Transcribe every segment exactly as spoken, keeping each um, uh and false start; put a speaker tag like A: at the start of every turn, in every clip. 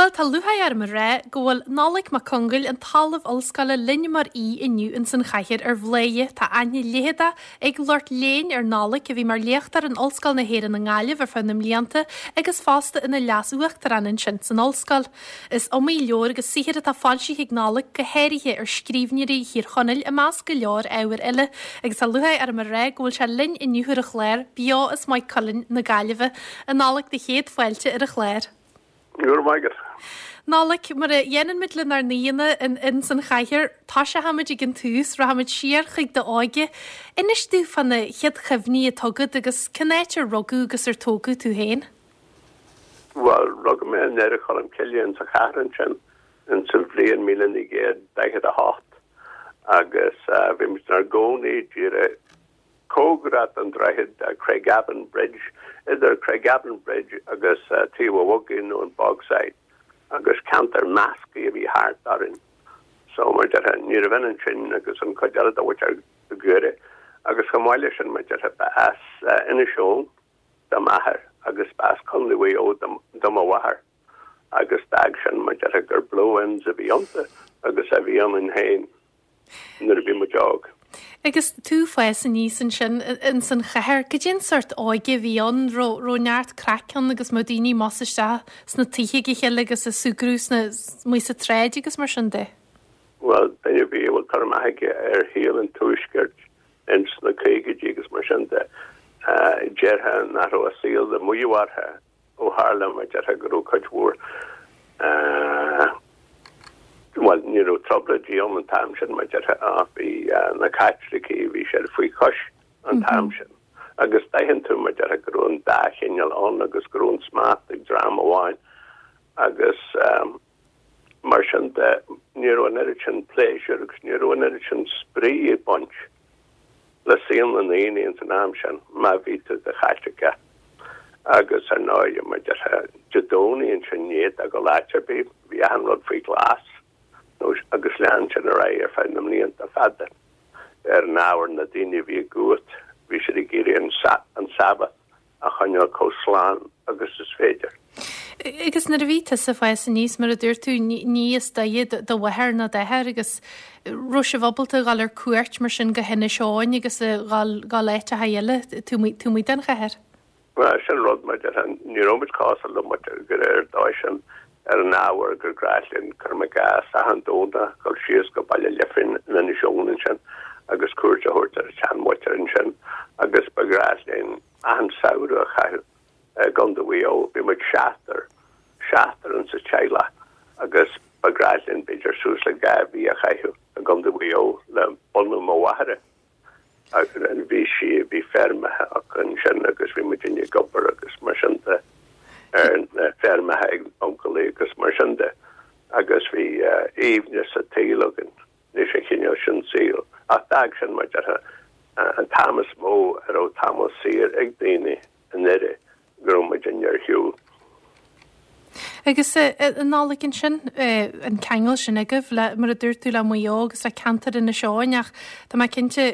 A: Bhuel, tá lúcháir orm a rá go bhfuil Nollaig Mac Congail, an tOllamh Ollscoile linn mar aoi inniu ins an chathaoir ar Bhladhaire. Tá aithne leitheadach ag lucht léinn ar Nollaig, a bhí mar léachtóir in Ollscoil na hÉireann i nGaillimh ar feadh na mblianta agus fosta ina leas-uachtarán ansin san ollscoil. Is iomaí leabhar agus saothar atá foilsithe ag Nollaig, go háirithe ar scríbhneoirí Thír Chonaill i measc go leor ábhar eile, agus tá lúcháir orm a rá go bhfuil sé linn inniu ar an chlár, beo as Maigh Cuilinn na Gaillimhe. A Nollaig, do chéad fáilte ar an chlár.
B: Go raibh maith agat.
A: Nollaig, mar a dhéanann muid lenár n-aíonna ins an chathaoir, toiseochaimid ag an tús, rachaimid siar chuig d'óige. Inis domh fá na chéad chuimhní atá agat agus cén áit ar rugadh agus ar tógadh tú féin?
B: Bhuel, rugadh mé i nDoire Cholm Cille insa chathair ansin insa bhliain míle naoi gcéad daichead a hocht agus bhí muid inár gcónaí díreach cóngarach don droichead Craigavon Bridge, idir Craigavon Bridge agus Taobh an Bhogaigh nó an Bogside, agus ceantar measctha a bhí thart orainn. So, mar déarfá, ní raibh ionann sin agus an chuid eile de mhuintir Dhoire. Agus chomh maith leis sin, mar déarfá, ba as Inis Eoghain do m'athair agus ba as Contae Mhaigh Eo do mo mháthair. Agus d'fhág sin, mar déarfá, gur blow-ins a bhí iontu agus a bhí ionainn féin. nuair a bhí muid óg.
A: Agus tú ag fás aníos ansin ins an chathair, cad é an sórt óige a bhí ann? Raibh raibh neart craic ann agus mbeadh daoine amuigh is isteach sna tithe ag a chéile agus ag súgradh sna amuigh sa tsráid agus mar sin de?
B: Bhuel, duine ar bith a bhfuil cur amach aige ar shaol an tuaiscirt ins na caogaidí agus mar sin de, déarfá nach raibh a saol le maíomh orthu. Ó tharla, mar déarfá, go raibh cuid mhór, bhuel, ní raibh trioblóidí ann an t-am sin, mar déarfá, ach bhí na Caitlicigh, bhí siad faoi chois an t-am sin. Agus d'aithin tú, mar déarfá, go raibh an dá chineál ann agus go raibh an smacht ag dream amháin agus mar sin de, ní raibh an oiread sin pléisiúir agus ní raibh an oiread sin spraoi ag baint le saol na ndaoine ins an am sin, má bhí tú i do Chaitliceach. Agus ar ndóigh, mar déarfá, Dé Domhnaigh ansin ní fhéadfá dul áit ar bith, bhí achan rud faoi ghlas, nó agus lean sin ar aghaidh ar feadh na mblianta fada. Ar an ábhar, na daoine a bhí i gcumhacht, bhí siad ag iarraidh an Sabbath a choinneáil chomh slán agus is féidir.
A: Agus nuair a bhí tusa ag fás aníos, mar a dúirt tú, ní as Doire do mháthair ná d'athair agus raibh sibh ábalta a dhul ar cuairt mar sin go hInis Eoghain agus a dhul dhul áiteacha eile taobh amuigh den chathair?
B: Bhuel, sin rud, mar déarfá, ní raibh muid cosúil le muintir Dhoire ar an dóigh sin ar an ábhar gur gnách linn, cuirim i gcás, achan Domhnach dul síos go Baile Lifín in Inis Eoghain ansin agus cuairt a thabhairt ar an tseanmhuintir ansin agus ba ghnách linn achan samhradh a chaitheamh i gContae Mhaigh Eo. Bhí muid seachtar, seachtar insa teaghlach agus ba ghnách linn b'fhéidir suas le dhá mhí a chaitheamh i gContae Mhaigh Eo le bunadh mo mháthara. Agus bhí sí, bhí feirmeacha acu ansin agus bhí muidinne ag obair agus mar sin de ar na feirmeacha ag uncailí agus mar sin de agus bhí aoibhneas an tsaoil againn. leis an chineál sin saoil. Ach d'fhág sin, mar déarfá, an t-am is mó a raibh tamall saor ag daoine i nDoire go raibh muidinne ar shiúl.
A: Agus a Nollaig ansin, an ceangal sin agaibh le, mar a dúirt tú, le Maigh Eo agus le ceantar Inis Eoghain ach tá mé cinnte,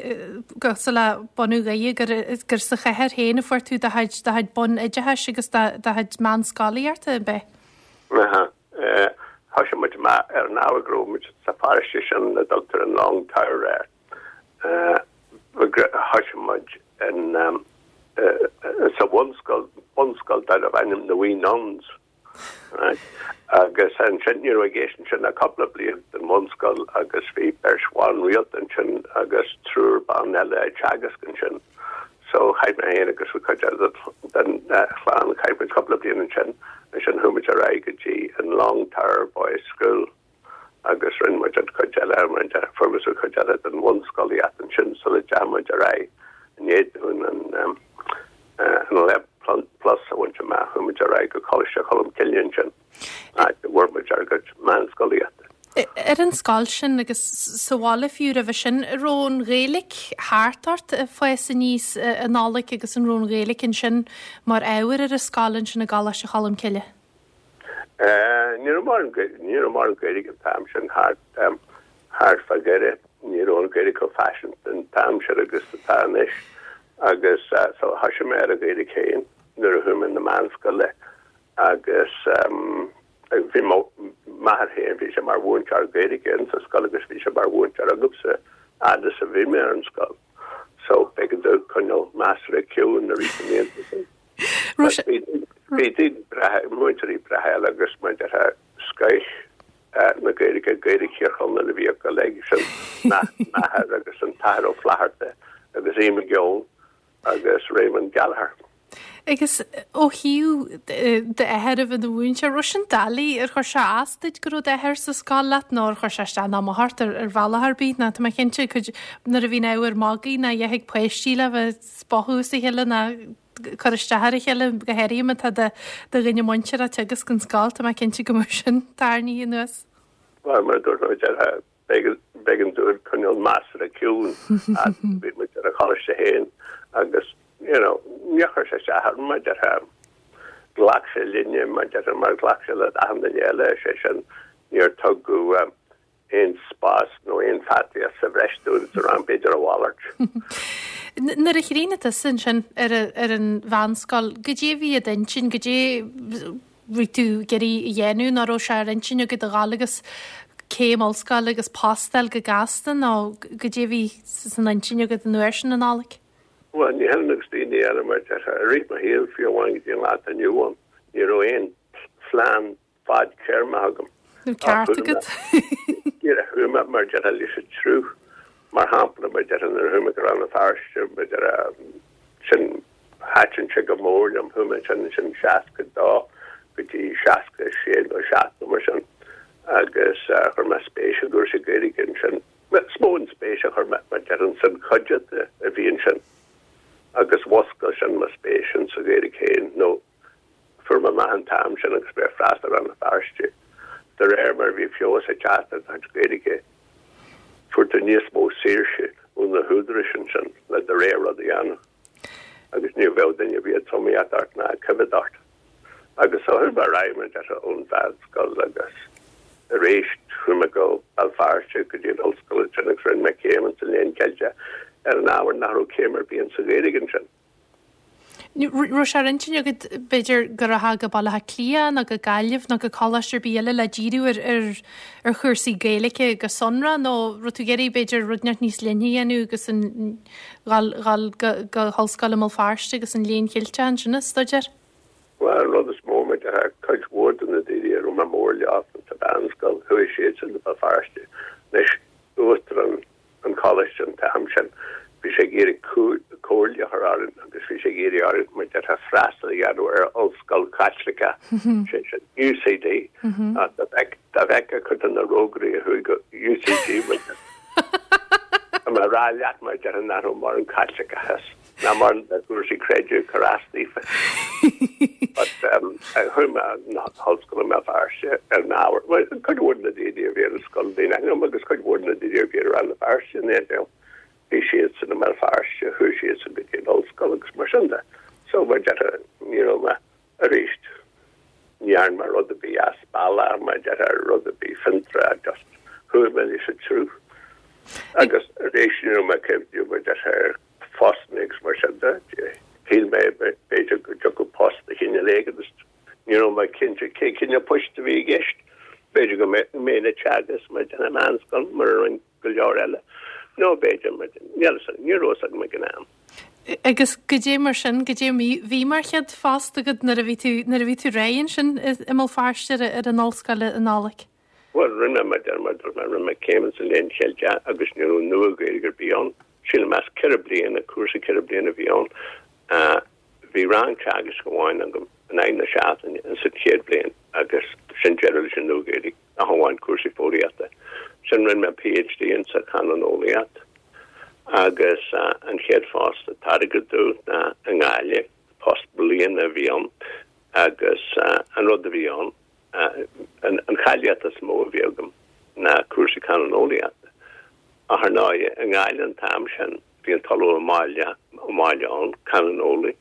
A: cosúil le bunadh Dhoire, gur, gur sa chathair féin a fuair tú do chuid, do chuid bunoideachais agus do, do chuid meánscolaíochta, ab ea?
B: Aha. Thoisigh muid amach ar an ábhar go raibh muid sa pharóiste sin a dtugtar an Long Tower air. Thoisigh muid in sa bhunscoil, bunscoil darbh ainm na Wee Nuns. Right? Agus ansin ní raibh i gceist ansin ach cúpla bliain den bhunscoil agus bhí beirt bhan rialta ansin agus triúr ban eile ag teagasc ansin. So chaith mé féin agus an chuid eile den chlann, chaith muid cúpla bliain ansin, ansin chuaigh muid ar aghaidh go dtí an Long Tower Boys School agus rinne muid an chuid eile, fuair muid an chuid eile den bhunscolaíocht ansin sula dteachaigh muid ar aghaidh i ndiaidh dúinn an an Plus a bhaint amach, chuaigh muid ar aghaidh go Coláiste Cholm Cille ansin, áit a bhfuair muid ár gcuid meánscolaíochta.
A: Ar an scoil sin agus sa bhaile fiú roimhe sin, an raibh an Ghaeilge thart ort ag fás aníos a Nollaig agus an raibh an Ghaeilge ansin mar ábhar ar an scoil ansin i gColáiste Cholm Cille?
B: Ní raibh mórán ní raibh mórán Gaeilge an t-am sin thart thart fá Dhoire. Ní raibh an Ghaeilge chomh faiseanta an t-am sin agus atá anois agus so thoisigh mé ar an Ghaeilge féin nuair a chuaigh mé na meánscoile agus Bhí mo m'athair féin, bhí sé mar mhúinteoir Gaeilge in sa scoil agus bhí sé mar mhúinteoir agamsa fhad is a bhí mé ar an scoil. So b'éigean domh coinneáil measartha ciúin i rith na mblianta sin. Bhí daoine breátha, múinteoirí breátha eile agus mar a déarfá scoith na Gaeilge, Gaeilge Thír Chonaill a bhí acu uilig, sin m'athair agus an tAthair Ó Flatharta agus Aodh Mac Eoin agus Raymond Gallagher.
A: Agus ó thaobh d'athair a bheith ina mhúinteoir, raibh sin doiligh, ar chuir sé as duit go raibh d'athair sa scoil leat nó ar chuir sé isteach ná amach ort ar bhealach ar bith? Nó tá mé cinnte cuid nuair a bhíonn ábhar magaidh ná a dhath ag páistí le bheith ag spochadh as a chéile ná cur isteach ar a chéile, go háirithe má tá do dhuine muinteartha ag teagasc an scoil, tá mé cinnte go mbeadh sin tarraingthe anuas.
B: Bhuel, mar a dúirt mé, b'éigean dúinn coinneáil measartha ciúin fhad a bhí muid ar an choláiste féin agus you know, níor chuir sé isteach orm, mar a déarfá. Ghlac sé linne, mar a déarfá, mar ghlac sé le achan duine eile, sé sin, níor tugadh aon spás nó aon faitíos sa bhreis dúinn sa rang, b'fhéidir a mhalairt.
A: Nuair a chríochnaigh tusa ansin ar ar an mheánscoil, goidé a bhí i d'intinn, goidé bhí tú ag iarraidh a dhéanamh, nó raibh sé ar intinn agat a dhul agus céim ollscoile agus post a fháil go gasta, nó goidé a bhí san intinn agat an uair sin, a Nollaig?
B: Bhuel, ní hionann agus daoine eile, mar a déarfá, i rith mo shaoil, fiú amháin go dtí an lá atá inniu ann, ní raibh aon phlean fadtéarmach agam.
A: Nó ceart agat.
B: Díreach chuaigh mé, mar a déarfá, leis an tsruth. Mar shampla, mar a déarfá, nuair a chuaigh mé go Rann na Feirste, mar a déarfá, sin, thaitin sé go mór liom, chuaigh mé ansin, ansin seasca dó go dtí seasca sé nó seacht nó mar sin, agus chuir mé spéis i gcúrsaí Gaeilge ansin. Is mó an spéis a chuir mé, mar a déarfá, san chuideachta a bhí ansin agus mhuscail sin mo spéis insa Ghaeilge féin nó fuair mé amach an t-am sin agus mé ag freastal ar Rann na Feirste, de réir mar a bhí feabhas ag teacht ar do chuid Gaeilge, fuair tú níos mó saoirse ó na húdaráis ansin le do rogha rud a dhéanamh agus ní bheadh duine ar bith ag tromaíocht ort ná ag coimhéad ort. Agus so chuaigh mé ar aghaidh, mar a déarfá, ón mheánscoil agus arís chuaigh mé go Béal Feirste go dtí an ollscoil ansin agus rinne mé céim insa Léann Ceilteach ar an ábhar nach raibh céim ar bith insa Ghaeilge ansin.
A: Raibh sé ar intinn agat b'fhéidir go rachfá go Baile Átha Cliath nó go Gaillimh nó go coláiste ar bith eile le díriú ar ar ar chúrsaí Gaeilge go sonrath nó raibh tú ag iarraidh b'fhéidir rud inteacht níos leithne a dhéanamh agus an dhul dhul go go hOllscoil i mBéal Feirste agus an Léann Cheilteach ansin a staidéar?
B: Bhuel, an rud is mó, mar a déarfá, cuid mhór de na daoine a raibh mé mór leo sa mheánscoil, chuaigh siadsan go Béal Feirste. Anois, uachtarán an choláiste an t-am sin, bhí sé ag iarraidh comhairle a chur orainn agus bhí sé ag iarraidh orainn, mar a déarfá, freastal a dhéanamh ar ollscoil Chaitliceach, sé sin, UCD. Ach dá bhfeicfeá cuid de na rógairí a chuaigh go UCD, mar a déarfá, tá mé a rá leat, mar a déarfá, nach raibh mórán Caitliceachas. ná mórán de chúrsaí creidimh ag cur as daofa. But chuaigh mé na hollscoile i mBéal Feirste ar an ábhar. Bhuel, cuid mhór de na daoine a bhí ar an scoil in éindí liom agus cuid mhór de na daoine a bhí ar Rann na Feirste in éindí liom, bhí siadsan i mBéal Feirste, chuaigh siadsan go dtí an ollscoil agus mar sin de. So, mar a déarfá, ní raibh mé arís, ní dhearna mé rud ar bith as bealach, mar a déarfá, rud ar bith fiontraíoch, just chuaigh mé leis an tsruth. Agus arís, ní raibh mé ag cuimhneamh, mar a déarfá, ar phostanna agus mar sin de. Shíl mé, b'fhéidir, go dtiocfadh post de chineál éigin agus ní raibh mé cinnte cé cineál poist a bhí i gceist. B'fhéidir go mbeinn ag teagasc mar a déarfá i meánscoil mar a rinne go leor eile nó b'fhéidir mar níl a fhios agam, ní raibh a fhios agam ag an am.
A: Agus goidé mar sin, goidé a bhí mar chéad phost agat nuair a bhí tú, nuair a bhí tú réidh ansin i mBéal Feirste ar an ollscoil a Nollaig?
B: Bhuel, rinne mé, mar a deir mé, rinne mé céim sa Léann Cheilteach agus ní raibh Nua-Ghaeilge ar bith ann. Sílim as ceithre bliana, cúrsa ceithre bliana a bhí ann. Bhí rang teagaisc amháin agam in aghaidh na seachtaine sa chéad bhliain agus sin deireadh leis an Nua-Ghaeilge, ach amháin cúrsaí foghraíochta. Sin rinne mé PhD insa chanúineolaíocht agus an chéad phost a tairgeadh domh ná i nGaillimh, post bliana a bhí ann agus an rud a bhí ann, An cháilíocht is mó a bhí agam ná cúrsaí canúineolaíochta. Ach ar ndóigh, i nGaillimh an t-am sin, bhí an tOllamh Ó Máille ann, canúineolaí,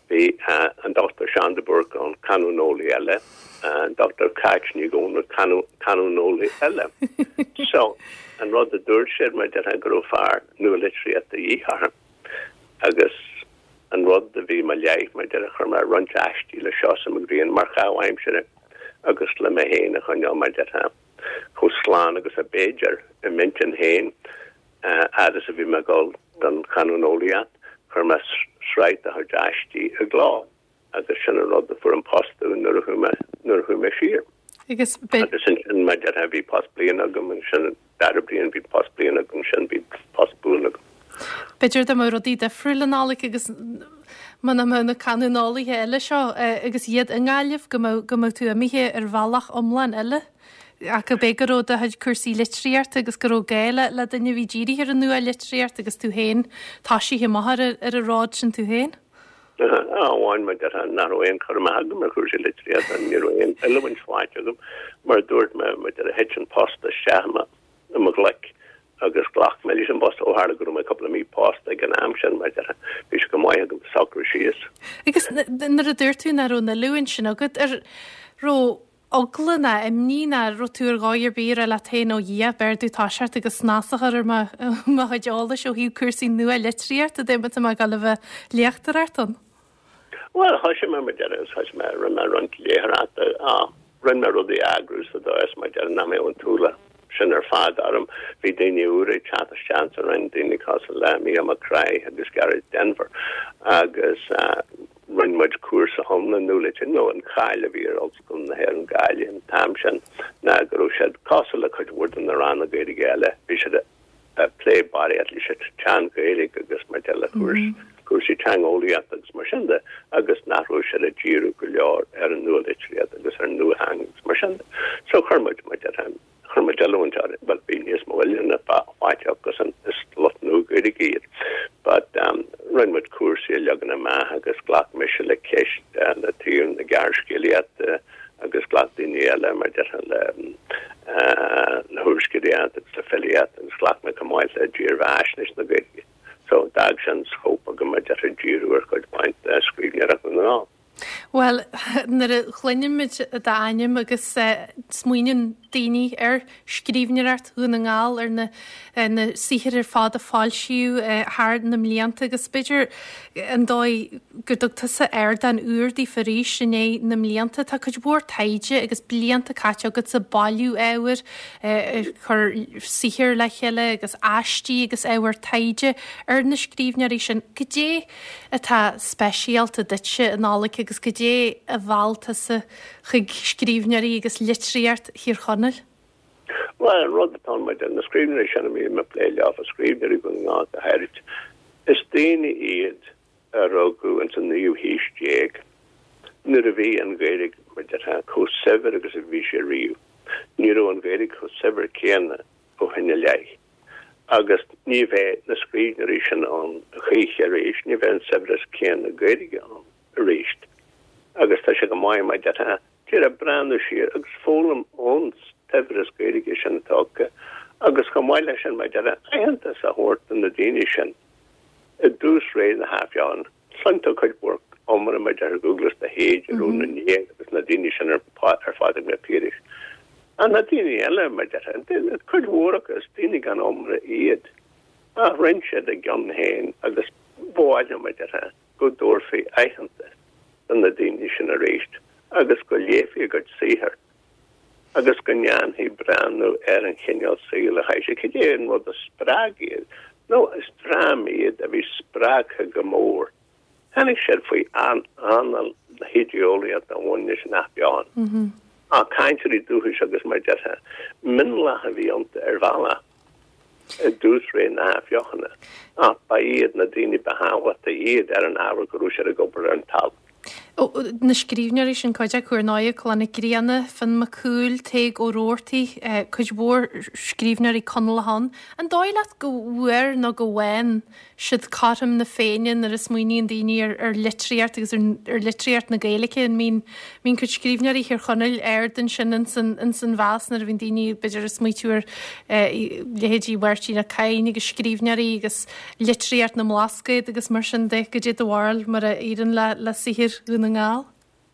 B: bhí an Dochtúir Seán de Búrca ann, canúineolaí eile, an Dochtúir Cáit Ní Dhomhnaill, canúineolaí eile. So, an rud a dúirt siad, mar a déarfá, go raibh fear nualitríochta de dhíth orthu. Agus an rud a bhí i mo leith, mar a déarfá, chuir mé roinnt aistí le Seosamh Mac Grianna mar chaitheamh aimsire. agus le mé féin a choinneáil mar déarfá chomh slán agus ab fhéidir i m'intinn féin fhad is a bhí mé ag dul don chanúineolaíocht, chuir mé sraith de chuid aistí i gcló agus sin an rud a fuair an post domh nuair a chuaigh mé nuair a chuaigh mé siar.
A: Agus
B: Agus ansin mar déarfá bhí post bliana agam ansin an dara bliain bhí post bliana agam ansin bhí post buan agam.
A: B'fhéidir dá mbeadh rudaí difriúil a Nollaig agus muna mbeadh na canúineolaithe eile seo agus iad i nGaillimh go mbeadh go mbeadh tú imithe ar bhealach iomlán eile. Ach ab é go raibh do chuid cúrsaí litríochta agus go raibh gá le le duine a bhí dírithe ar an nua-litríocht agus tú féin toisithe amach ar ar an ród sin tú féin?
B: Amháin mar déarfá nach raibh aon chur amach agam ar chúrsaí litríochta, ní raibh aon oiliúint faighte agam. Mar a dúirt mé, mar déarfá thit an post isteach i mo ghlaic agus ghlac mé leis an bpost ó tharla go raibh mé cúpla mí pósta ag an am sin, mar déarfá bhí sé go maith agam socrú síos.
A: Agus nuair a dúirt tú nach raibh an oiliúint sin agat, ar raibh eagla ná imní ná raibh tú ar dhóigh ar bith ag rá leat féin ó Dhia, b'fhearr domh toiseacht agus snas a chur ar mo mo chuid eolais ó thaobh cúrsaí nua-litríochta dá mba tá mé ag dul a bheith ag léachtóireacht ann?
B: Bhuel, thoisigh mé, mar déarfá, thoisigh mé, rinne mé roinnt léitheoireachta, rinne mé rudaí a eagrú sa dóigh is, mar déarfá, nach mbeadh an t-ualach sin ar fad orm. Bhí daoine úra ag teacht isteach sa Roinn, daoine cosúil le Mícheál Mac Craith agus Gearóid Denvir agus rinne muid cúrsa iomlán nua-litríochta, nó an cháil a bhí ar Ollscoil na hÉireann Gaillimh an t-am sin ná go raibh siad cosúil le cuid mhór de na ranna Gaeilge eile, bhí siad ag plé barraíocht leis an tSean-Ghaeilge agus mar de le cúrsaí teangeolaíochta agus mar sin de agus nach raibh siad ag díriú go leor ar an nua-litríocht agus ar an nuatheanga agus mar sin de. So chuir muid mar déarfá chuir muid oiliúint ar bhuel bhí níos mó oiliúna faighte acusan is lucht Nua-Ghaeilge iad. But um, rinne muid cúrsaí a leagan amach agus ghlac mise le ceist uh, le taobh na gearrscéalaíochta agus ghlac daoine eile mar déarfá le le húrscéalaíocht agus le filíocht agus ghlac mé chomh maith le dírbheathaisnéis na Gaeilge. So d'fhág sin scóip agam mar déarfá díriú ar chuid mhaith de scríbhneoireacht na nGall.
A: Bhuel, nuair a chluinimid d'ainm agus smaoiníonn daoine ar scríbhneoireacht Dhún na nGall, ar na na saothair ar fad a foilsíodh thar na mblianta agus b'fhéidir an dóigh go dtug tusa ardán úr daofa arís i ndiaidh na mblianta. Tá cuid mhór taighde agus blianta caite agat ag bailiú ábhair, ag cur saothair le chéile agus aistí agus ábhar taighde ar na scríbhneoirí sin. Goidé atá speisialta duitse, a Nollaig, agus goidé a mheall tusa chuig scríbhneoirí agus litríocht Thír Chonaill?
B: Bhuel, an rud atá ann maidir na scríbhneoirí sin a mbím ag plé leo, scríbhneoirí Dhún na nGall go háirid, is daoine iad a rugadh ins an naoú haois déag nuair a bhí an Ghaeilge, mar déarfá, chomh saibhir agus a bhí sé riamh. Ní raibh an Ghaeilge chomh saibhir céanna ó shin i leith. Agus ní bheidh na scríbhneoirí sin ann choíche arís, ní bheidh an saibhreas céanna Gaeilge ann arís. Agus tá sé go maith, mar déarfá, díreach breathnú siar agus foghlaim ón tsaibhreas Gaeilge sin atá acu agus chomh maith leis sin, mar déarfá, aitheantas a thabhairt do na daoine sin i dtús ré na hAthbheochana. Cluineann tú cuid mhór iomrá mar déarfá Dúglas de hÉide, Rónán Liag agus na daoine sin ar Phádraig Mac Piarais. Ach na daoine eile, mar déarfá, cuid mhór acu, is daoine gan iomrá iad. Ach rinne siad a gcion féin agus ba mhaith liom, mar déarfá, go dtabharfaí aitheantas do na daoine sin arís agus go léifí a gcuid saothar agus go ndéanfaí breathnú ar an chineál saoil a chaith siad, cad é an rud a spreag iad, nó is dream iad a bhí spreagtha go mór. Tháinig siad faoi anáil na hidé-eolaíochta a bhain leis an Athbheochan. Ach cainteoirí dúchais agus mar déarfá, mionlach a bhí iontu ar bhealach i dtús ré na hAthbheochana, ach ba iad na daoine ba thábhachtaí iad ar an ábhar go raibh siad ag obair ar an talamh.
A: Na scríbhneoirí sin, cuid acu ar ndóigh, Clanna Nic Grianna, Fionn Mac Cumhaill, Tadhg Ó Rabhartaigh, cuid mhór scríbhneoirí Conallacha ann. An dóigh leat go bhfuair nó go bhfaigheann siad cothrom na Féinne nuair a smaoiníonn daoine ar ar litríocht agus ar ar litríocht na Gaeilge? An mbíonn mbíonn cuid scríbhneoirí Thír Chonaill ard ansin ins an ins an mheas nuair a bhíonn daoine b'fhéidir ag smaoitiú ar leithéidí Mháirtín Ó Cadhain agus scríbhneoirí agus litríocht na mBlascaod agus mar sin de, goidé do bharúil mar a éiríonn le le saothar Dhún na nGall?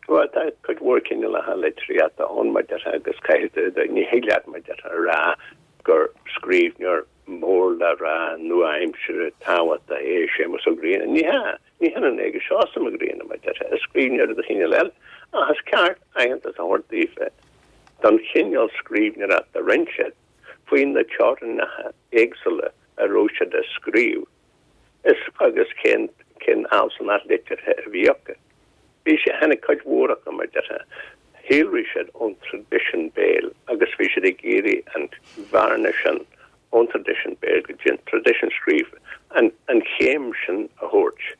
B: Bhuel, tá cuid mhór cineálacha litríochta ann, mar déarfá, agus caithfidh tú, ní thig leat, mar déarfá, a rá gur scríbhneoir mór le rá nua-aimseartha tábhachtach é Séamus Ó Grianna. Ní hea, ní hionann é agus Seosamh Mac Grianna, mar déarfá, is scríbhneoir de chineál eile, ach is ceart aitheantas a thabhairt daofa. don chineál scríbhneoireachta a rinne siad faoi na teorainneacha éagsúla a raibh siad ag scríobh is agus cén cén fhealsúnacht liteartha a bhí acu. Bhí sé tháinig cuid mhór acu mar déarfá, shíolraigh siad ón traidisiún béil agus bhí siad ag iarraidh an bhearna sin ón traidisiún béil go dtí an traidisiún scríofa, an an chéim sin a thabhairt.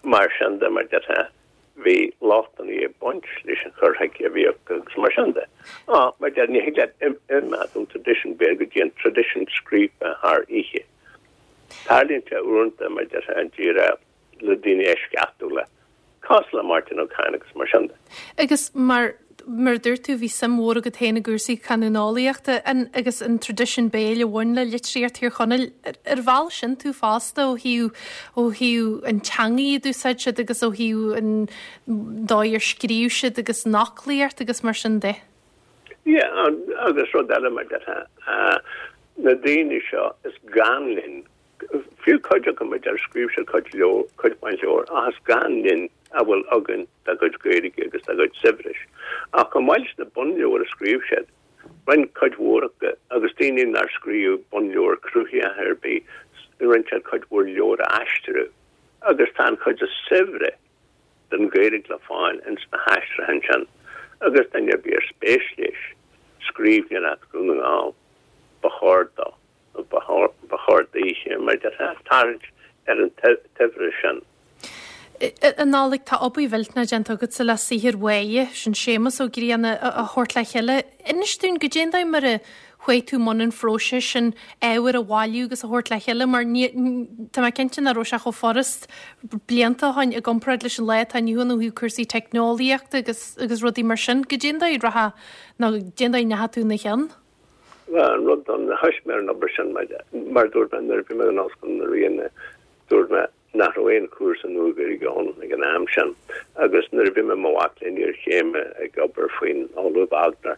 B: Mar sin de mar déarfá, bhí lochtanna ag baint leis an chur chuige a bhí acu agus mar sin de. Á, mar déarfá, ní thig leat imeacht ón traidisiún béil go dtí an traidisiún scríofa thar oíche. Tarlaíonn sé uaireanta mar déarfá an díreach le daoine eisceachtúla, cosúil le Máirtín Ó Cadhain agus mar sin de.
A: Agus mar mar a dúirt tú bhí suim mhór agat féin i gcúrsaí canúineolaíochta an agus an traidisiún béil a bhain le litríocht Thír Chonaill. Ar mheall sin tú fosta ó thaobh ó thaobh an teangaidh a d'úsáid siad agus ó thaobh an dóigh ar scríobh siad agus an fhoclaíocht agus mar sin de?
B: Yeah, agus rud eile mar déarfá, na daoine seo is gann linn Fiú cuid acu mar déarfá scríobh siad cuid leabhar, cuid mhaith leabhar, ach is gann linn a bhfuil againn dá gcuid Gaeilge agus dá gcuid saibhris. Ach chomh maith leis na bunleabhair a scríobh siad, rinne cuid mhór acu, agus daoine nár scríobh bunleabhar cruthaitheach ar bith, rinne siad cuid mhór leabhar a aistriú. Agus tá an chuid is saibhre den Ghaeilge le fáil ins na haistriúcháin sin, agus duine ar bith ar spéis leis scríbhneoireacht Dhún na nGall, ba chóir dó. Ba chóir daoithe, mar déarfá, tarraingt ar an tsaibhreas sin.
A: A Nollaig, tá obair mhillteanach déanta agatsa le saothar Mháire, sin Séamus Ó Grianna, a thabhairt le chéile. Inis dúinn goidé an dóigh mar a chuaigh tú i mbun an phróisis sin ábhar a bhailiú agus a thabhairt le chéile mar ní, tá mé cinnte nach raibh sé chomh furast blianta ó shin i gcomparáid leis an lá atá inniu ann ó thaobh cúrsaí teicneolaíochta agus agus rudaí mar sin. Goidé an dóigh a rachadh nó goidé an dóigh a ndeachaigh tú ina chionn?
B: Bhuel, an rud don thoisigh mé ar an obair sin, mar dúirt mé nuair a bhí mé in Ollscoil na Ríona, dúirt mé nach raibh aon chúrsa Nua-Ghaeilge ann ag an am sin agus nuair a bhí mé i mo mhac léinn iarchéime ag obair faoin Ollamh Wagner,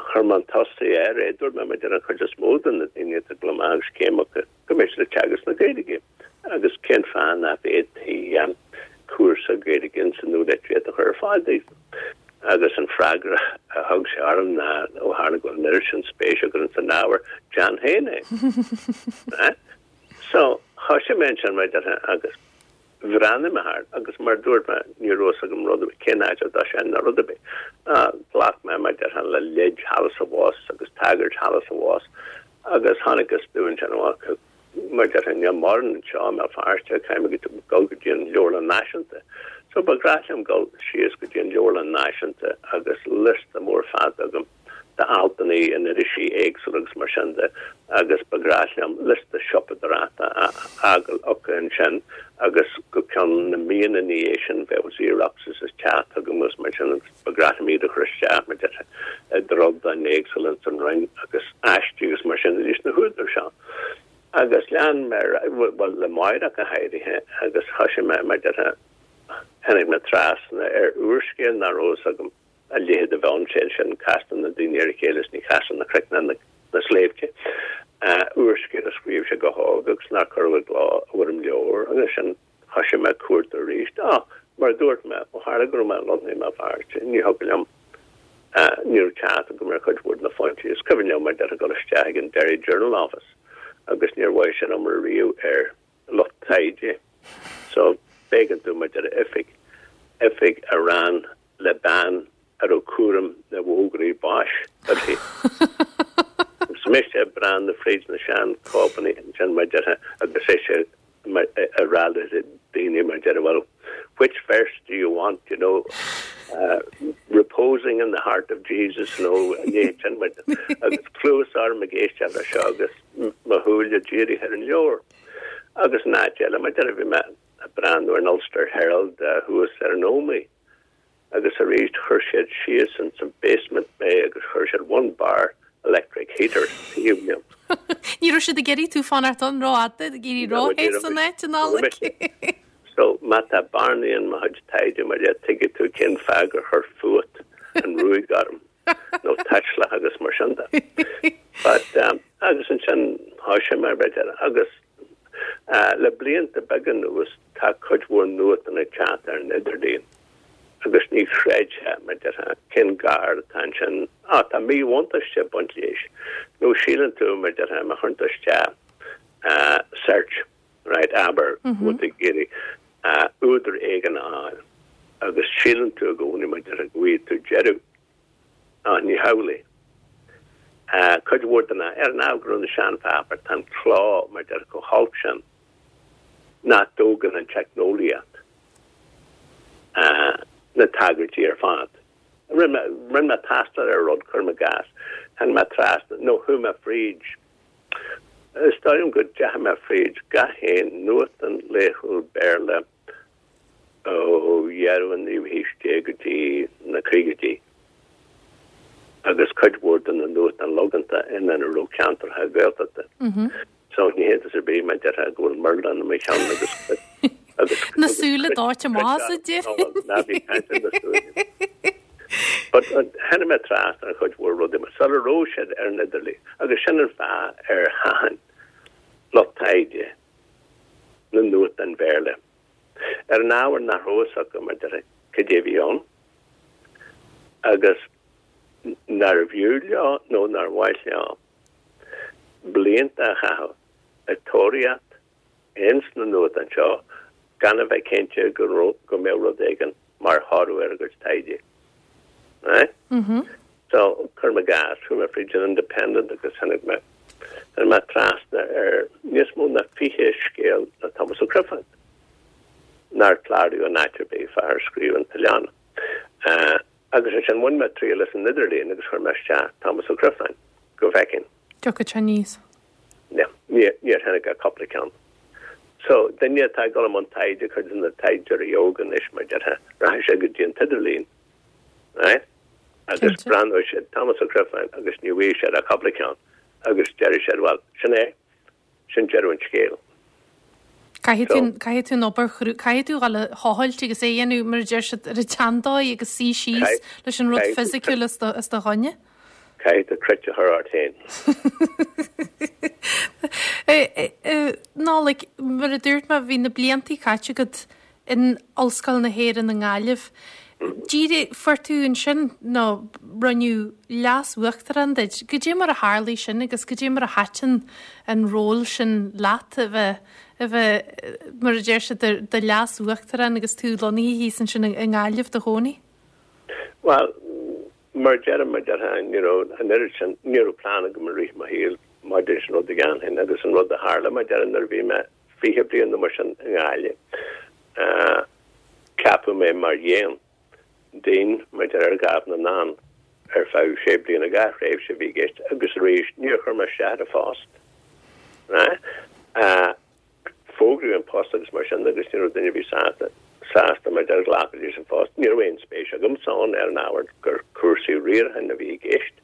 B: chuir mé chun tosaigh air é, dúirt mé maidir an chuid is mó de na daoine atá ag dul amach agus céim acu go mbeidh siad ag teagasc na Gaeilge agus cén fáth nach bhféadfaí cúrsa Gaeilge ins an nualitríocht a chur ar fáil daofa. Agus an freagra a thug sé orm ná, ó tharla go bhfuil an oiread sin spéise agat ins an ábhar, déan féin é. So, thoisigh mé ansin mar déarfá agus bhreathnaigh mé thart agus mar a dúirt mé, ní raibh fhios agam rud ar bith, cén áit a dtosóinn ná rud ar bith. Ghlac mé mar déarfá le leid thall is abhus agus tagairt thall is abhus agus thángthas ansin amach Mar déarfá, níl mórán anseo i mBéal Feirste, caithfidh mé dul go dtí an Leabharlann Náisiúnta. So ba ghnách liom dul síos go dtí an Leabharlann Náisiúnta agus liosta mór fada agam d'altanna in irisí éagsúla agus mar sin de agus ba ghnách liom liosta siopadóireachta a fhágáil acu ansin agus go ceann na míonna ina dhiaidh sin bheadh xeroxes ag teacht chugam agus mar sin agus ba ghnách liom iad a chur isteach mar déarfá i dtrodain éagsúla ins an Roinn agus aistí agus mar sin de leis na húdair seo. Agus lean mé ar aghaidh, bhuel, le Máire go háirithe, agus thoisigh mé, mar déarfá, tháinig mé trasna ar úrscéal nach raibh fhios agam a leithéid a bheith ann, sé sin, Castar na Daoine ar a Chéile is ní Chasann na Cnoic ná na Sléibhte, úrscéal a scríobh sé go hóg agus nár cuireadh i gcló i bhfoirm leabhair, agus sin, thoisigh mé ag cuartú arís. Á, mar a dúirt mé, ó tharla go raibh mé lonnaithe i mBéal Feirste, ní thiocfadh liom, ní raibh teacht agam ar chuid mhór de na foinsí. Is cuimhin liom, mar déarfá, dul isteach ag an Derry Journal Office agus níor mhaígh sin iomrá riamh ar lucht taighde. So, b'éigean dom, mar déarfá, oifig, oifig a raibh le bean a raibh cúram na bhfógraí báis uirthi. Agus mise ag breathnú fríd na seanchóipeanna ansin, mar déarfá, agus ise ag rá le daoine, mar déarfá, well, which verse do you want, you know, uh, reposing in the heart of Jesus, nó a leithéid sin, mar agus cluas orm ag éisteacht leis seo agus mo shúile dírithe ar an leabhar. Agus in áit eile, mar déarfá, bhí mé ag breathnú ar an Ulster Herald uh, thuas ar an Ómaigh. Agus arís chuir siad síos ins an basement mé agus chuir siad one bar electric heater taobh liom.
A: Ní raibh siad ag iarraidh tú fanacht ann rófhada, ag iarraidh róthe san áit an Nollaig.
B: So má tá bearnaí in mo chuid taighde mar dhea tuigfidh tú cén fáth gur chuir fuacht an ruaig orm nó taisleach agus mar sin de. But um, agus ansin thoisigh mé b'fhéidir agus uh, le blianta beaga anuas tá cuid mhór nuachtáin ag teacht ar an idirlíon. Agus ní chreidfeá, mar déarfá, cén gar atá ansin, á, tá míbhuntáiste ag baint leis. Nó síleann tú, mar déarfá, má chuireann tú isteach search, right, abair, go bhfuil tú ag iarraidh údar éigin a fháil, agus síleann tú i gcónaí, mar déarfá, go bhfaighidh tú deireadh, ach ní hamhlaidh. Cuid mhór de na, ar an ábhar go raibh na seanpháipéir, tá an cló, mar déarfá, chomh holc sin nach dtógann an teicneolaíocht na tagairtí ar fad. Rinne mé tástáil ar rud, cuirim i gcás, tháinig mé trasna, nó chuaigh mé fríd, is dóigh liom go ndeachaigh mé fríd gach aon nuachtán laethúil Béarla ó dheireadh an naoú haois déag go dtí na caogaidí agus cuid mhór de na nuachtáin logánta ina raibh ceantracha Gaeltachta. So ní hiontas ar bith, mar déarfá, go bhfuil murlán i mo cheann agus agus
A: Na súile dóite amach, a déarfainn.
B: Ná bí ag caint ar na súile. But tháinig mé trasna ar chuid mhór rudaí mar sula raibh siad ar an idirlíon agus sin an fáth ar thaitin lucht taighde na nuachtáin Bhéarla. Ar an ábhar nach raibh fhios acu, mar déarfá, cad é a bhí ann agus nárbh fhiú leo nó nár mhaith leo blianta a chaitheamh ag tóraíocht ins na nuachtáin seo gan a bheith cinnte go go mbeadh rud éigin mar thoradh ar a gcuid taighde. Right?
A: Mm -hmm.
B: So cuirim i gcás, chuaigh mé fríd an Independent agus tháinig mé tháinig mé trasna ar níos mó ná fiche scéal le Thomas Ó Criomhthain nár cláraíodh in áit ar bith, fear a scríobh an tOileánach. Uh, agus ansin bhain mé triail as an idirlíon agus chuir mé isteach Thomas Ó Criomhthain go bhfeicfinn.
A: Tiocfaidh sé aníos.
B: No, níor tháinig ach cúpla ceann. So duine atá ag dul i mbun taighde, cuid de na taighdeoirí óga anois, mar déarfá, rachaidh sé go dtí an t-idirlíon, right? Agus breathnóidh siad Thomas Ó Criomhthain agus ní bhfaighidh siad ach cúpla ceann agus déarfaidh siad, well, sin é, sin deireadh an scéil.
A: Caithfidh tú caithfidh tú an obair chrua, caithfidh tú dhul a thochailt agus é a dhéanamh mar a deir siad ar an tseandóigh agus suí síos leis an rud fisiciúil os do os do choinne.
B: Caithfidh tú cruit a chur ort féin.
A: Nollaig, mar a dúirt mé, bhí na bliantaí caite agat in Ollscoil na hÉireann i nGaillimh. Díreach fuair tú ansin, nó rinneadh leas-uachtarán duit. Cad é mar a tharlaigh sin agus cad é mar a thaitin an ról sin leat a bheith, a bheith, mar a deir siad, do, do leas-uachtarán agus tú lonnaithe thíos ansin i nGaillimh do chónaí?
B: Bhuel, mar deirim, mar déarfá, ní raibh an oiread sin, ní raibh plean agam i rith mo shaoil maidir leis an rud a dhéanfainn agus an rud a tharla, mar déarfá, nuair a bhí mé fiche bliain nó mar sin i nGaillimh, ceapadh mé mar dhéan, dean, mar déarfá, ar Dhámh na nDán ar feadh sé bliana, dhá thréimhse a bhí i gceist agus arís níor chuir mé isteach ar an phost. Fógraíodh an post agus mar sin agus ní raibh duine ar bith sásta sásta mar déarfá glacadh leis an phost. Ní raibh aon spéis agamsa ann ar an ábhar gur cúrsaí riaracháin a bhí i gceist.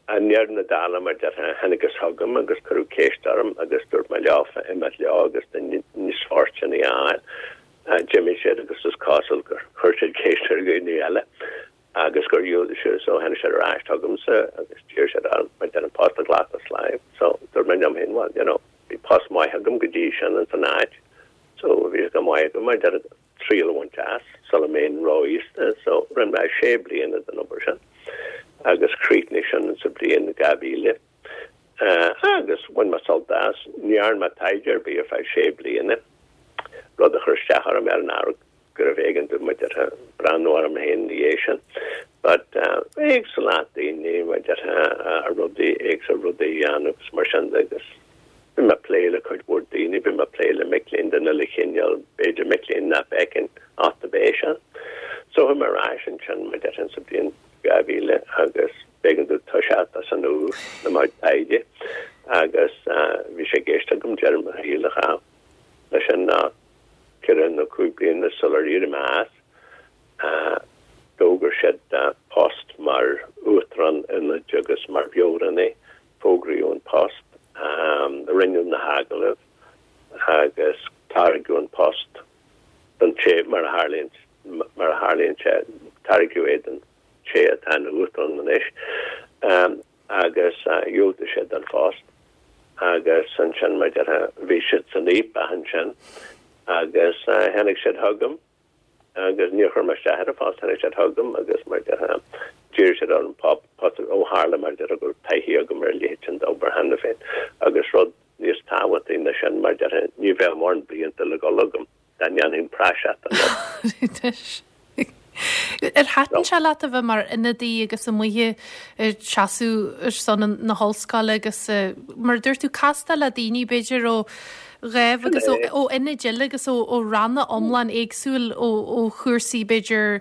B: I ndeireadh na dála mar déarfá thángthas chugam agus cuireadh ceist orm agus dúirt mé leofa imeacht leo agus duine níos fóirsteanaí a fháil. D'imigh siad agus is cosúil gur chuir siad ceist ar dhaoine eile agus gur dhiúltaigh siad so tháinig siad ar ais chugamsa agus d'iarr siad orm mar déarfá an post a ghlacadh as láimh. So dúirt mé liom féin well you know bhí post maith agam go dtí sin ins an áit so bhí sé go maith agam mar déarfá triail a bhaint as sula mbeinn ró-aosta so rinne mé sé bliana den obair sin agus chríochnaigh sin sa bhliain dhá mhíle agus bhain mé sult as. Ní dhearna mé taighde ar bith ar feadh sé bliana, rud a chuir isteach orm ar an ábhar gurbh éigean dom mar déarfá breathnú orm féin ina dhiaidh sin. But éagsúlacht daoine mar déarfá rudaí éagsúla rudaí a dhéanamh agus mar sin de agus bhí mé ag plé le cuid mhór daoine, bhí mé ag plé le mic léinn den uile chineál, b'fhéidir mic léinn nach bhfeicfinn ach do b'é sin. So chuaigh mé ar ais ansin mar déarfá sa bhliain dhá mhíle agus b'éigean domh toiseacht as an úr le mo chuid taighde agus bhí sé i gceist agam deireadh mo shaoil a chaitheamh leis sin ná ceithre nó cúig bliana sular éirigh mé as. D'fhógair siad post mar Uachtarán Ionaid agus mar Mheabhránaí. Fógraíodh an post, rinneadh na hagallaimh agus tairgeadh an post don té, mar a tharlaíonn, mar a tharlaíonn sé, tairgeadh é don té atá ina Uachtarán anois agus dhiúltaigh sé don phost agus ansin, mar déarfá, bhí siad san fhaopach ansin agus tháinig siad chugam. agus níor chuir mé isteach ar an phost, tháinig siad chugam agus mar a déarfá d'iarr siad orm post ó tharla mar a déarfá go raibh taithí agam ar a leithéid sin d'obair cheana féin agus rud níos tábhachtaí ná sin mar a déarfá ní bheadh mórán blianta le dhul agam dá ndéanfainn praiseach den rud.
A: Ar thaitin sé leat a bheith mar ionadaí agus amuigh ag seasamh ar son na hollscoile agus mar a dúirt tú castáil le daoine b'fhéidir ó dhámh agus ó ionaid eile agus ó ranna iomlán éagsúil ó chúrsaí b'fhéidir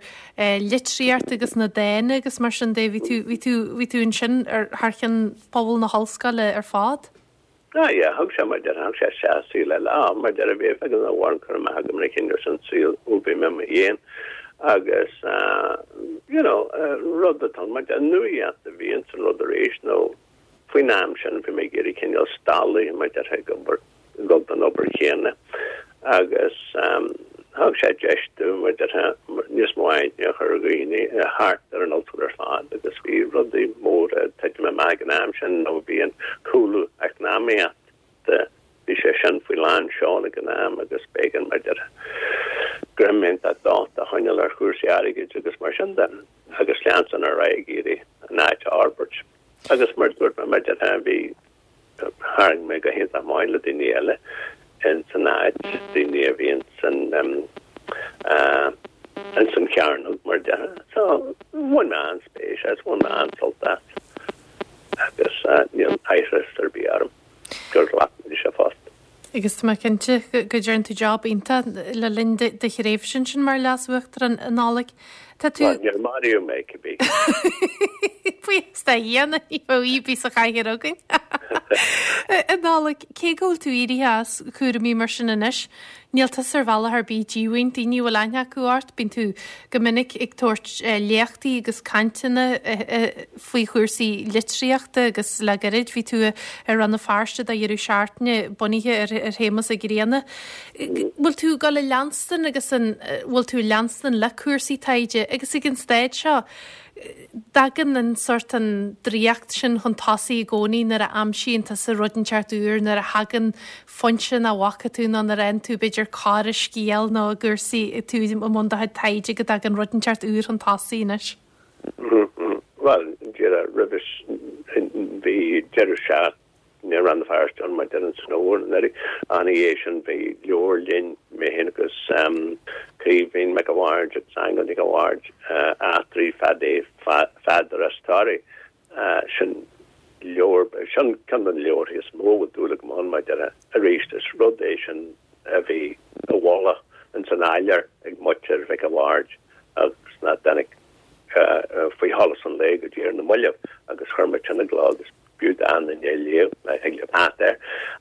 A: litríocht agus na daonna agus mar sin de bhí tú bhí tú bhí tú ansin ar thar cheann pobal na hollscoile ar fad.
B: Ah yeah, thug sé mar déarfá, thug sé isteach saol eile. Ah, mar déarfá bhí ag an amháin cur amach agam ar chinneadh san saol ó bhí mé m'fhéin agus you know, rud atá mar déarfá nuaíocht a bhí ins an rud arís nó faoin am sin bhí mé ag iarraidh cineál stadadh mar déarfá ag obair ag dul don obair chéanna agus thug sé deis dom mar déarfá níos mó aithne a chur ar dhaoine thart ar an ollscoil ar fad agus bhí rudaí móra ag titim amach ag an am sin nó bhí an cúlú eacnamaíochta, bhí sé sin faoi lán seoil ag an am agus b'éigean mar déarfá greim iontach docht a choinneáil ar chúrsaí airgid agus mar sin de agus leanstan ar aghaidh ag iarraidh an áit a fhorbairt. Agus mar a dúirt mé mar déarfá bhí Tharraing mé go hiontach maith le daoine eile ins an áit, daoine a bhí ins an ins an chearnóg mar a déarfá. So, bhain mé an-spéis as, bhain mé an-sult as agus níl aithris ar bith orm gur ghlac mé leis an phost.
A: Agus tá mé cinnte go dtearn tú job iontach le linn do thréimhse ansin mar Leas-Uachtarán, a Nollaig. Tá tú.
B: Bhuel, níor maraíodh mé, cibé.
A: Buíochas do Dhia, ní bheadh aoi ar bith sa chathaoir againn. A Nollaig, cé go bhfuil tú éirithe as cúraimí mar sin anois, níl tusa ar bhealach ar bith díomhaoin. Daoine a bhfuil aithne acu ort, bíonn tú go minic ag tabhairt léachtaí agus cainteanna faoi chúrsaí litríochta agus le gairid bhí tú i Rann na Feirste do dheireadh seachtaine bunaithe ar Shéamus Ó Grianna. Bhfuil tú ag dul a leanstan agus an bhfuil tú ag leanstan le cúrsaí taighde agus ag an staid seo dtagann an sórt an draíocht sin chun tosaigh i gcónaí nuair a aimsíonn tusa rud inteacht úr, nuair a thagann foinse nach bhfaca tú nó nuair a fhaigheann tú b'fhéidir cor i scéal nó i gcúrsaí tú i mbun do chuid taighde go dtagann rud inteacht úr chun tosaigh anois.
B: Bhuel, díreach roimhe bhí deireadh seachtaine i Rann na Feirste ann mar déarfá san fhómhar anuraidh. Ina dhiaidh sin bhí leabhar linn, mé féin agus Caoimhín Mac a' Bhaird agus Aingeal Nic a' Bhaird, Eachtraí Phadaí Pheadair as Toraigh. Sin leabhar, sin ceann de na leabharthaí is mó a bhfuil dúil agam ann mar déarfá. Arís is rud é sin a bhí i bhfolach ins an áiléar ag muintir Mhic a' Bhaird agus nach dtáinig faoi sholas an lae go dtí ar na mallaibh agus chuir muid sin i gcló agus b'fhiú d'aon duine é a léamh, má thig libh theacht air.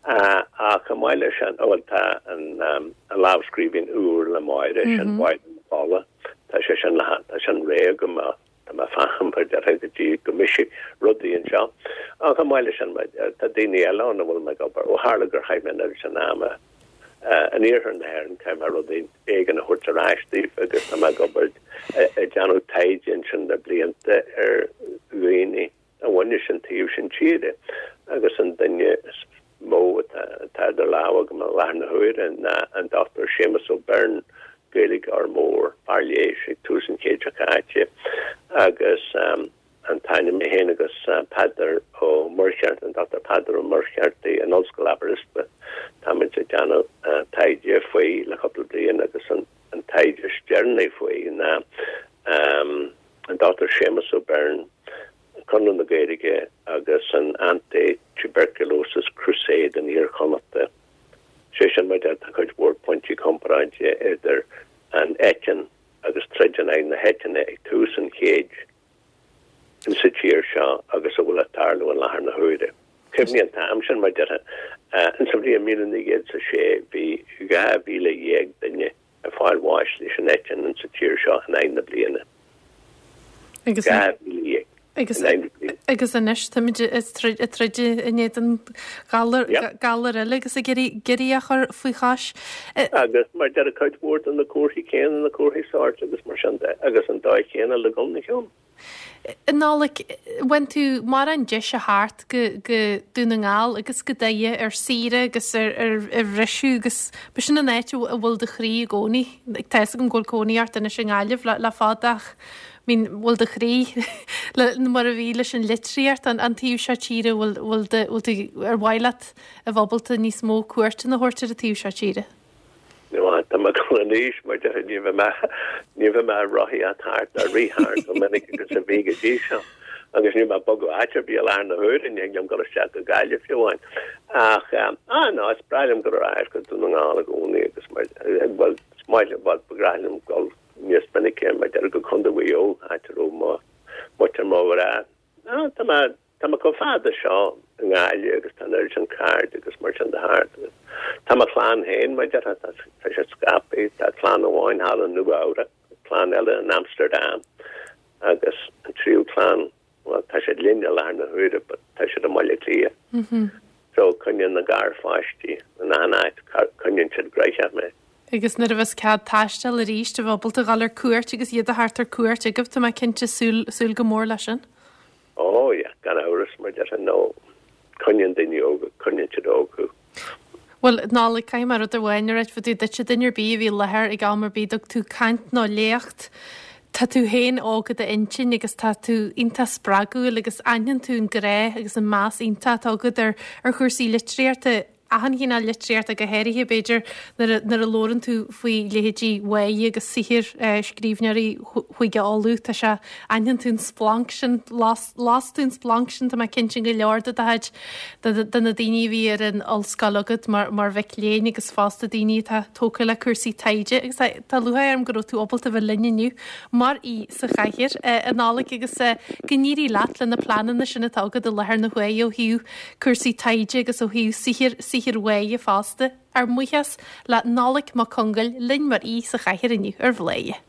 B: Ach chomh maith leis sin, bhuel, tá an lámhscríbhinn úr le Máire, sin Máire na Fola, tá sé sin le, tá sin réidh agam ach tá mé ag fanacht mar déarfá go dtí go mbrisfidh rudaí anseo. Ach chomh maith leis sin, tá daoine eile ann a bhfuil mé ag obair, ó tharla gur chaith mé an oiread sin ama in iarthar na hÉireann, caithfidh mé rud éigin a thabhairt ar ais daoibh agus tá mé ag obair, ag déanamh taighde ansin le blianta ar dhaoine a bhain leis an taobh sin tíre agus an duine is mó atá idir lámha agam i láthair na huaire ná an Dochtúir Séamus Ó Beirn, Gaeilgeoir mór, fear leighis ag tús an chéid seo caite agus an t-ainm mé féin agus Peadar Ó Muircheartaigh, an Dochtúir Peadar Ó Muircheartaigh in Ollscoil Aberystwyth. Táimid ag déanamh taighde faoi le cúpla bliain agus an taighde is deireanaí faoi ná an Dochtúir Séamus Ó Beirn, Conradh na Gaeilge agus an Anti-Tuberculosis Crusade in Iar-Chonnachta. Sé sin mar tá cuid mhór pointí comparáide idir an eitinn agus troid in aghaidh na heitinne ag tús an chéid insa tír seo agus a bhfuil ag tarlú i láthair na huaire. Cuimhnigh an t-am sin, mar déarfá, insa bhliain míle naoi gcéad is a sé bhí dhá mhíle dhéag duine ag fáil bháis leis an eitinn insa tír seo in aghaidh na bliana.
A: Agus
B: Dhá mhíle dhéag
A: agus
B: in aghaidh na bliana.
A: agus anois táimid ag troid ag troid in éadan galar
B: Yep.
A: galar eile agus ag iarraidh iarraidh é a chur faoi chois.
B: Agus mar déarfá cuid mhór de na comharthaí céanna, na comharthaí sóirt agus mar sin de, agus an dóigh chéanna le dul ina chionn.
A: A Nollaig, bhain tú mórán deis a theacht go go Dún na nGall agus go Doire ar saoire agus ar ar ar bhriseadh agus b'shin an áit a bhfuil do chroí i gcónaí. Tá fhios agam go bhfuil cónaí ort anois i nGaillimh le le fada ach I mean bhfuil do chroí le mar a bhí leis an litríocht an an taobh seo tíre bhfuil bhfuil do bhfuil tú ar mhaith leat a bheith ábalta níos mó cuairteanna a thabhairt ar an taobh seo tíre?
B: Tá mé go anois mar de ní bheidh mé ní bheidh mé rothaíocht thart ar rith thart go minic agus a bhí go dtí seo. Agus ní mé bogadh áit ar bith i láthair na huaire ní liom dul isteach go Gaillimh fiú amháin. Ach ah no is breá liom dul ar ais go Dún na nGall i gcónaí agus mar well is maith liom well ba bhreá liom dul níos minice mar deir go Contae Mhaigh Eo áit a raibh mo muintir mo mhná. Ah tá mé tá mé chomh fada seo i nGaillimh agus tá an oiread sin cairde agus mar sin de thart. Tá mo chlann féin mar deir tá tá siad scaipthe, tá clann amháin thall i Nua Eabhrac, clann eile in Amsterdam agus an tríú clann well tá siad linn i láthair na huaire but tá siad i mBaile Átha Cliath.
A: Mm -hmm.
B: So coinníonn na garpháistí in achan áit coinníonn siad gnoitheach mé.
A: Agus nuair a bheas cead taistil arís a bheith ábalta dul ar cuairt agus iad a theacht ar cuairt agaibh tá mé cinnte súil súil go mór leis sin.
B: Ó yeah, gan amhras mar deir nó coinníonn daoine óga coinníonn siad óg thú.
A: Well Nollaig caithfidh mé rud amháin a rá fá dtaobh duitse duine ar bith a bhí i láthair ag am ar bith dtug tú caint nó léacht. Tá tú féin óg i d'intinn agus tá tú iontach spreagúil agus aithníonn tú an grá agus an meas iontach atá agat ar ar chúrsaí litríochta achan chineál litríochta go háirithe b'fhéidir nuair a nuair a labhrann tú faoi leithéidí Mháire agus saothar eh, scríbhneoirí Chúige Uladh tá sé aithníonn tú an splanc sin las las tú an splanc sin tá mé cinnte go leor de do chuid de de na daoine a bhí ar an ollscoil agat mar mar mhic léinn agus fosta daoine atá tógtha le cúrsaí taighde agus tá tá lúcháir orm go raibh tú ábalta bheith linn inniu mar aoi sa chathaoir eh, a Nollaig agus eh, go n-éirí leat le na pleananna sin atá agat i láthair na huaire ó thaobh cúrsaí taighde agus ó thaobh saothar saothar Mháire fosta. Ár mbuíochas le Nollaig Mac Congáil linn mar aoi sa chathaoir inniu ar Bhladhaire.